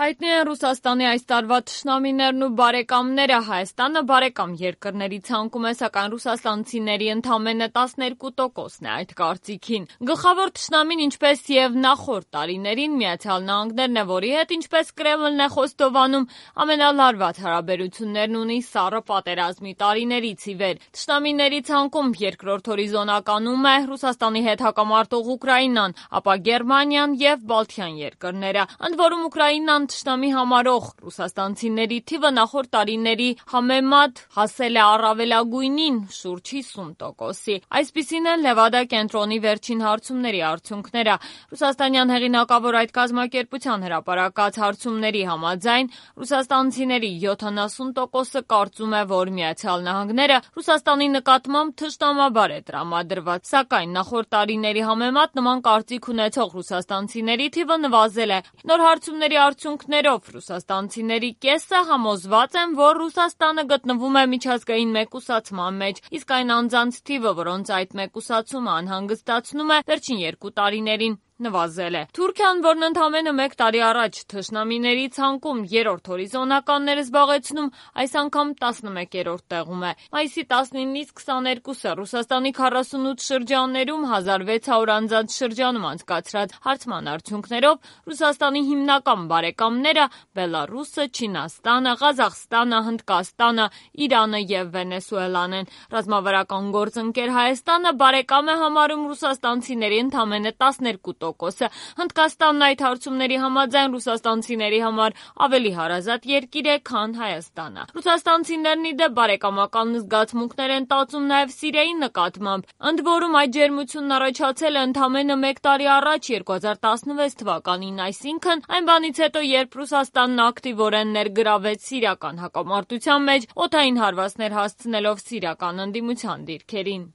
Հայտնի են Ռուսաստանի այս տարվա թշնամիներն ու բարեկամները։ Հայաստանը բարեկամ երկրների ցանկում է, սակայն ռուսաստանցիների ընդամենը 12%-ն է այդ կարծիքին։ Գլխավոր թշնամին, ինչպես եւ նախորդ տարիներին, ԱՄՆ-ն է, որի հետ, ինչպես Կրեմլն է խոստովանում, ամենալարված հարաբերություններն ունի սառը պատերազմի տարիներից ի վեր։ Թշնամիների ցանկում երկրորդ հորիզոնականում է Ռուսաստանի հետ հակամարտող Ուկրաինան, ապա Գերմանիան եւ Բալթյան երկրները։ Ընդ որում Ուկրաինան թշնամի համարող ռուսաստանցիների թիվը նախորդ տարիների համեմատ հասել է առավելագույնին՝ շուրջ 50%-ի։ Այսպիսին են Լևադա կենտրոնի վերջին հարցումների արդյունքները։ Ռուսաստանյան հեղինակավոր այդ կազմակերպության հրապարակած հարցումների համաձայն ռուսաստանցիների 70%-ը կարծում է, որ ԱՄՆ-ը Ռուսաստանի նկատմամբ թշնամաբար է տրամադրված, սակայն նախորդ տարիների համեմատ նման կարծիք ունեցող ռուսաստանցիների թիվը նվազել է։ Նոր հարցումների արդյունքներով ռուսաստանցիների կեսը համոզված են, որ Ռուսաստանը գտնվում է միջազգային մեկուսացման մեջ, իսկ այն անձանց թիվը, որոնց այդ մեկուսացումը անհանգստացնում է, վերջին 2 տարիներին նվազել է։ Թուրքիան, որն ընդամենը 1 տարի առաջ թշնամիների ցանկում երրորդ հորիզոնականներ զբաղեցնում, այս անգամ 11-րդ տեղում է։ Մայիսի 19-ից 22-ը Ռուսաստանի 48 շրջաններում 1600 անձանց շրջանում անցկացրած հարցման արդյունքներով Ռուսաստանի հիմնական բարեկամները Բելարուսը, Չինաստանը, Ղազախստանը, Հնդկաստանը, Իրանը եւ Վենեսուելան են։ Ռազմավարական գործընկեր Հայաստանը բարեկամ է համարում ռուսաստանցիների ընդամենը 12%-ը։ Հնդկաստանն այդ հարցումների համաձայն ռուսաստանցիների համար ավելի հարազատ երկիր է, քան Հայաստանը։ Ռուսաստանցիներն ի դեպ բարեկամական զգացմունքներ են տածում նաև Սիրիայի նկատմամբ։ Ընդ որում այդ ջերմությունն առաջացել է ընդամենը 1 տարի առաջ 2016 թվականին, այսինքն այն բանից հետո, երբ Ռուսաստանն ակտիվորեն ներգրավեց սիրիական հակամարտության մեջ, օդային հարվածներ հասցնելով սիրիական ընդդիմության դիրքերին։